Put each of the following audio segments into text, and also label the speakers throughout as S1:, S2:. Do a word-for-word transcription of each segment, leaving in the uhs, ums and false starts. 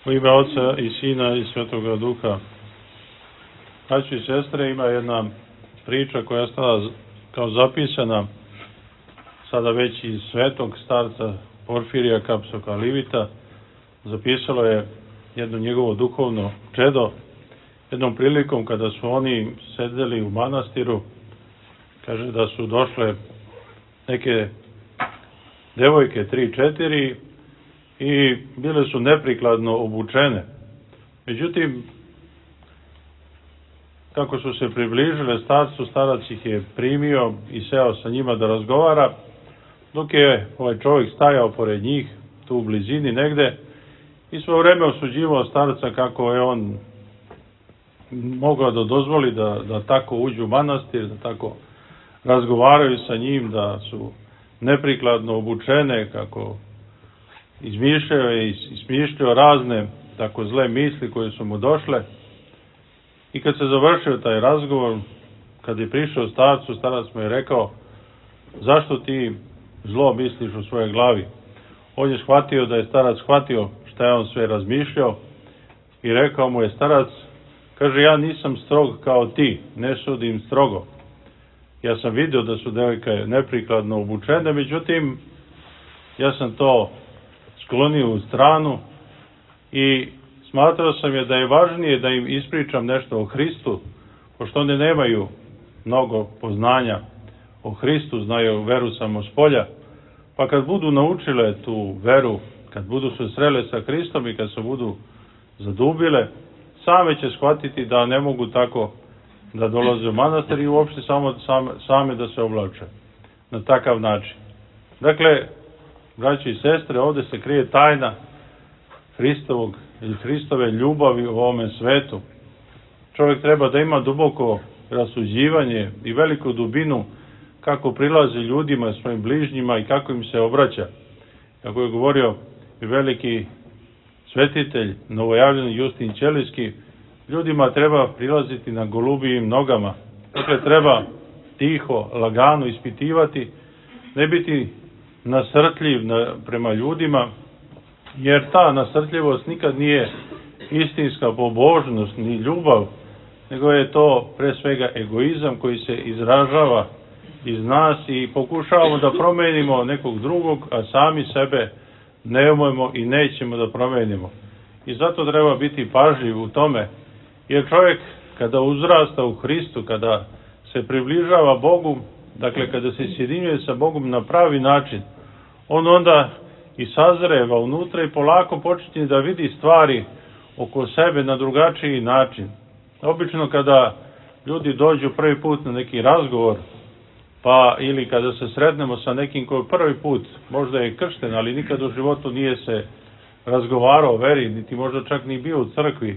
S1: U ime Oca i Sina i Svetoga Duha. Braćo i sestre, ima jedna priča koja je ostala kao zapisana sada već iz svetog starca Porfirija Kapsokalivita. Zapisalo je jedno njegovo duhovno čedo. Jednom prilikom kada su oni sedeli u manastiru, kaže da su došle neke devojke, tri, četiri, i bile su neprikladno obučene. Međutim, kako su se približile starcu, starac ih je primio i seo sa njima da razgovara, dok je ovaj čovjek stajao pored njih, tu u blizini negde, i svo vreme osuđivao starca kako je on mogao da dozvoli da, da tako uđu u manastir, da tako razgovaraju sa njim, da su neprikladno obučene, kako izmišljao je i smišljao razne tako zle misli koje su mu došle. I kad se završio taj razgovor, kad je prišao starcu, starac mu je rekao: zašto ti zlo misliš u svojoj glavi? On je shvatio da je starac shvatio šta je on sve razmišljao i rekao mu je starac, kaže: ja nisam strog kao ti, ne sudim strogo. Ja sam vidio da su devojke neprikladno obučene, međutim, ja sam to sklonio u stranu i smatrao sam je da je važnije da im ispričam nešto o Hristu, pošto one nemaju mnogo poznanja o Hristu, znaju veru samo s polja, pa kad budu naučile tu veru, kad budu se srele sa Hristom i kad se budu zadubile, same će shvatiti da ne mogu tako da dolaze u manastir i uopšte samo same, same da se oblače na takav način. Dakle, braći i sestre, ovde se krije tajna Hristovog ili Hristove ljubavi u ovome svetu. Čovjek treba da ima duboko rasuđivanje i veliku dubinu kako prilazi ljudima, svojim bližnjima i kako im se obraća. Kako je govorio i veliki svetitelj, novojavljeni Justin Ćelijski, ljudima treba prilaziti na golubijim nogama. Dakle, treba tiho, lagano ispitivati, ne biti nasrtljiv na, prema ljudima, jer ta nasrtljivost nikad nije istinska pobožnost ni ljubav, nego je to pre svega egoizam koji se izražava iz nas i pokušavamo da promenimo nekog drugog, a sami sebe ne umemo i nećemo da promenimo. I zato treba biti pažljiv u tome, jer čovjek kada uzrasta u Hristu, kada se približava Bogu, dakle kada se sjedinjuje sa Bogom na pravi način, on onda i sazreva unutra i polako počinje da vidi stvari oko sebe na drugačiji način. Obično kada ljudi dođu prvi put na neki razgovor, pa ili kada se sretnemo sa nekim koji prvi put možda je kršten, ali nikad u životu nije se razgovarao o veri, niti možda čak ni bio u crkvi,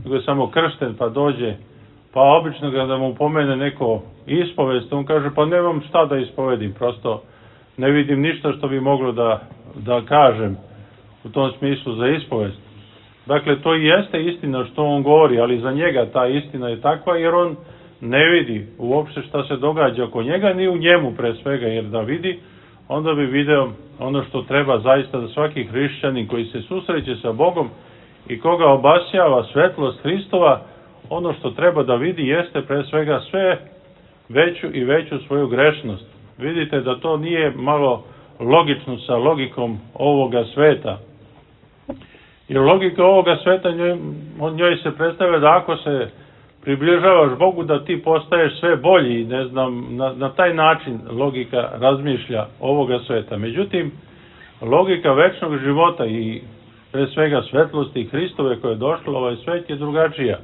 S1: nego je samo kršten pa dođe, pa obično kada mu pomene neko ispovest, on kaže: pa nemam šta da ispovedim, prosto ne vidim ništa što bi moglo da, da kažem u tom smislu za ispovest. Dakle, to i jeste istina što on govori, ali za njega ta istina je takva jer on ne vidi uopšte šta se događa oko njega, ni u njemu pre svega, jer da vidi, onda bi video ono što treba zaista da svaki hrišćanin koji se susreće sa Bogom i koga obasjava svetlost Hristova, ono što treba da vidi jeste pre svega sve veću i veću svoju grešnost. Vidite da to nije malo logično sa logikom ovoga sveta. Jer logika ovoga sveta, njoj, njoj se predstavlja da ako se približavaš Bogu, da ti postaješ sve bolji, ne znam, na, na taj način logika razmišlja ovoga sveta. Međutim, logika večnog života i pre svega svetlosti Hristove koje je došla u ovaj svet je drugačija.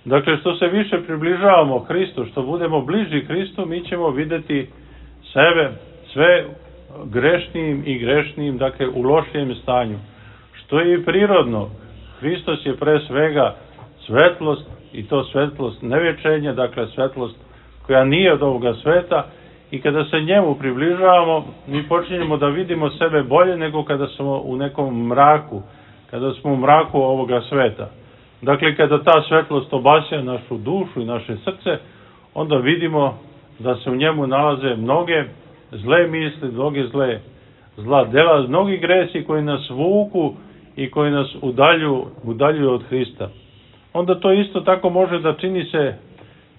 S1: Dakle, što se više približavamo Hristu, što budemo bliži Hristu, mi ćemo videti sebe sve grešnijim i grešnijim, dakle u lošijem stanju. Što je i prirodno. Hristos je pre svega svetlost, i to svetlost nevječenja, dakle svetlost koja nije od ovoga sveta, i kada se njemu približavamo, mi počinjemo da vidimo sebe bolje nego kada smo u nekom mraku, kada smo u mraku ovoga sveta. Dakle, kada ta svetlost obasja našu dušu i naše srce, onda vidimo da se u njemu nalaze mnoge zle misli, mnoge zle, zla dela, mnogi gresi koji nas vuku i koji nas udaljuju, udaljuju od Hrista. Onda to isto tako može da čini se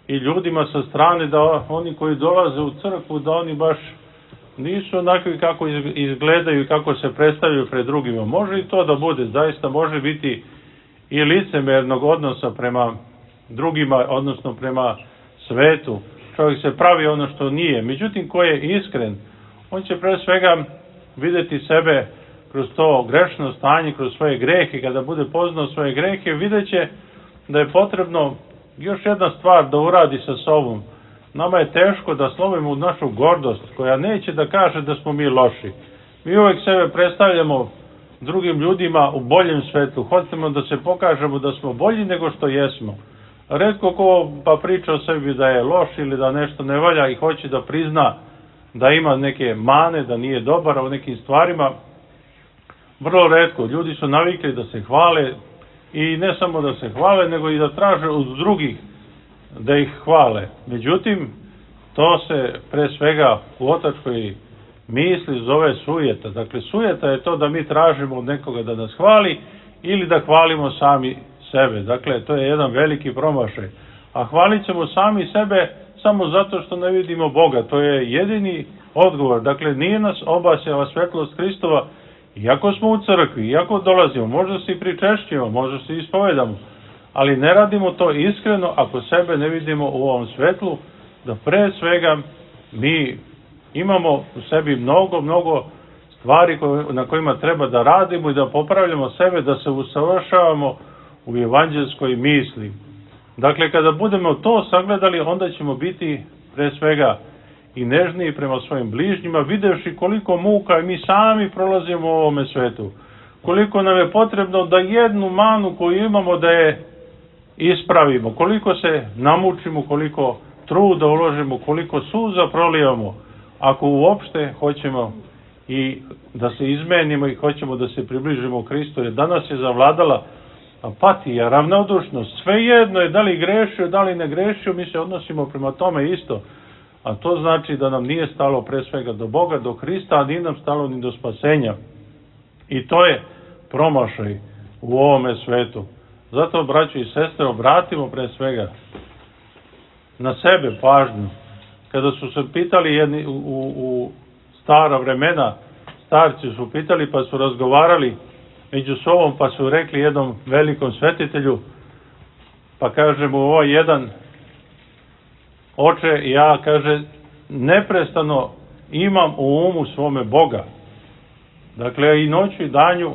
S1: i ljudima sa strane, da oni koji dolaze u crkvu, da oni baš nisu onakvi kako izgledaju i kako se predstavljaju pred drugima. Može i to da bude, zaista može biti i licemernog odnosa prema drugima, odnosno prema svetu. Čovjek se pravi ono što nije. Međutim, ko je iskren, on će pre svega videti sebe kroz to grešno stanje, kroz svoje grehe. Kada bude poznao svoje grehe, vidjet će da je potrebno još jedna stvar da uradi sa sobom. Nama je teško da slomimo našu gordost, koja neće da kaže da smo mi loši. Mi uvek sebe predstavljamo drugim ljudima u boljem svetu. Hoćemo da se pokažemo da smo bolji nego što jesmo. Retko ko pa priča o sebi da je loš ili da nešto ne valja i hoće da prizna da ima neke mane, da nije dobar u nekim stvarima. Vrlo retko. Ljudi su navikli da se hvale i ne samo da se hvale, nego i da traže od drugih da ih hvale. Međutim, to se pre svega u otačkoj misli zove sujeta. Dakle, sujeta je to da mi tražimo od nekoga da nas hvali ili da hvalimo sami sebe. Dakle, to je jedan veliki promašaj. A hvalit ćemo sami sebe samo zato što ne vidimo Boga. To je jedini odgovor. Dakle, nije nas obasjala svetlost Hristova, iako smo u crkvi, iako dolazimo, možda se i pričešćimo, možda se ispovedamo, ali ne radimo to iskreno ako sebe ne vidimo u ovom svetlu, da pre svega mi imamo u sebi mnogo, mnogo stvari na kojima treba da radimo i da popravljamo sebe, da se usavršavamo u evanđelskoj misli. Dakle, kada budemo to sagledali, onda ćemo biti pre svega i nežniji prema svojim bližnjima, videvši koliko muka mi sami prolazimo u ovome svetu. Koliko nam je potrebno da jednu manu koju imamo da je ispravimo, koliko se namučimo, koliko truda uložimo, koliko suza prolijevamo, ako uopšte hoćemo i da se izmenimo i hoćemo da se približimo Hristu, jer danas je zavladala apatija, ravnodušnost, svejedno je da li grešio, da li ne grešio, mi se odnosimo prema tome isto, a to znači da nam nije stalo pre svega do Boga, do Hrista, a nije nam stalo ni do spasenja. I to je promašaj u ovome svetu. Zato, braćo i sestre, obratimo pre svega na sebe pažnju. Kada su se pitali jedni u, u, u stara vremena, starci su pitali pa su razgovarali među sobom, pa su rekli jednom velikom svetitelju, pa kaže mu ovo jedan, oče, ja, kaže, neprestano imam u umu svome Boga. Dakle, i noću i danju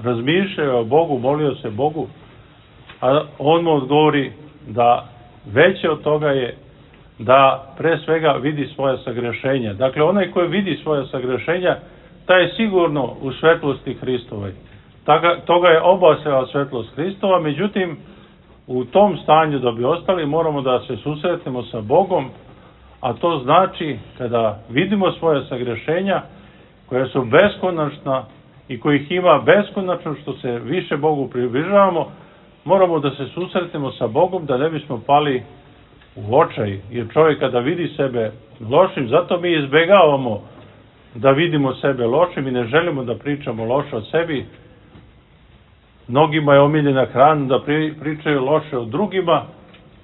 S1: razmišljao o Bogu, molio se Bogu, a on mu odgovori da veće od toga je da pre svega vidi svoje sagrešenja. Dakle, onaj koji vidi svoje sagrešenja, taj je sigurno u svetlosti Hristovoj. Toga je obasjala svetlost Hristova, međutim, u tom stanju da bi ostali, moramo da se susretnemo sa Bogom, a to znači kada vidimo svoje sagrešenja, koja su beskonačna i kojih ima beskonačno što se više Bogu približavamo, moramo da se susretnemo sa Bogom da ne bismo pali u očaj, jer čovjek kada vidi sebe lošim, zato mi izbegavamo da vidimo sebe lošim i ne želimo da pričamo loše o sebi. Mnogima je omiljena hrana da pričaju loše o drugima,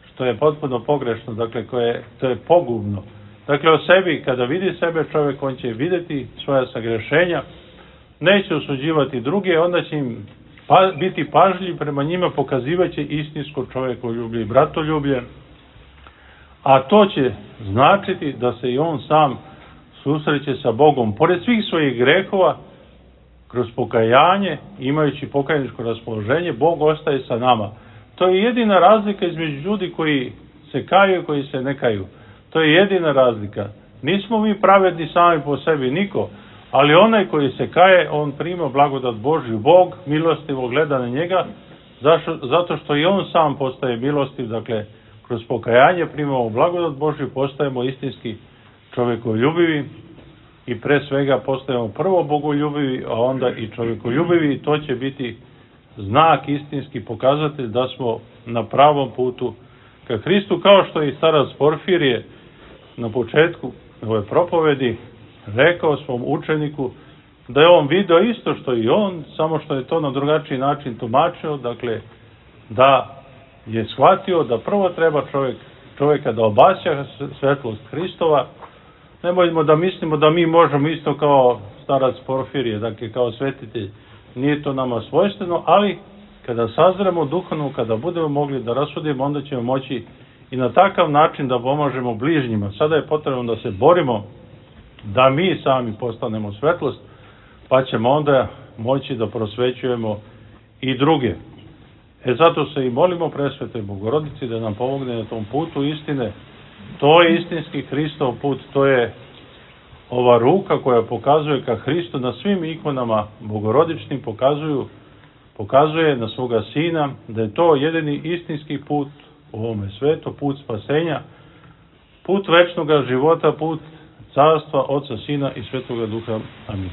S1: što je potpuno pogrešno, dakle, koje, to je pogubno. Dakle, o sebi, kada vidi sebe čovjek, on će vidjeti svoja sagrešenja, neće osuđivati druge, onda će im pa, biti pažljiv prema njima, pokazivaće istinsko čovjekoljublje i bratoljublje, a to će značiti da se i on sam susreće sa Bogom. Pored svih svojih grehova, kroz pokajanje, imajući pokajničko raspoloženje, Bog ostaje sa nama. To je jedina razlika između ljudi koji se kaju i koji se ne kaju. To je jedina razlika. Nismo mi pravedni sami po sebi, niko, ali onaj koji se kaje, on prima blagodat Božju. Bog milostivo gleda na njega, zašto, zato što i on sam postaje milostiv, dakle, kroz pokajanje primamo blagodat Božju, postajemo istinski čovjekoljubivi i pre svega postajemo prvo bogoljubivi, a onda i čovjekoljubivi, i to će biti znak, istinski pokazatelj da smo na pravom putu ka Hristu, kao što i starac Porfirije na početku ove propovedi rekao svom učeniku, da je on video isto što i on, samo što je to na drugačiji način tumačio, dakle, da je shvatio da prvo treba čovjek, čovjeka da obasja svetlost Hristova. Nemojmo da mislimo da mi možemo isto kao starac Porfirije, dakle kao svetitelj, nije to nama svojstveno, ali kada sazremo duhovno, kada budemo mogli da rasudimo, onda ćemo moći i na takav način da pomažemo bližnjima. Sada je potrebno da se borimo da mi sami postanemo svetlost, pa ćemo onda moći da prosvećujemo i druge. E zato se i molimo Presvetoj Bogorodici da nam pomogne na tom putu istine. To je istinski Hristov put, to je ova ruka koja pokazuje ka Hristu na svim ikonama bogorodičnim, pokazuju, pokazuje na svoga Sina, da je to jedini istinski put u ovome svetu, put spasenja, put večnog života, put carstva Oca, Sina i Svetoga Duha. Amin.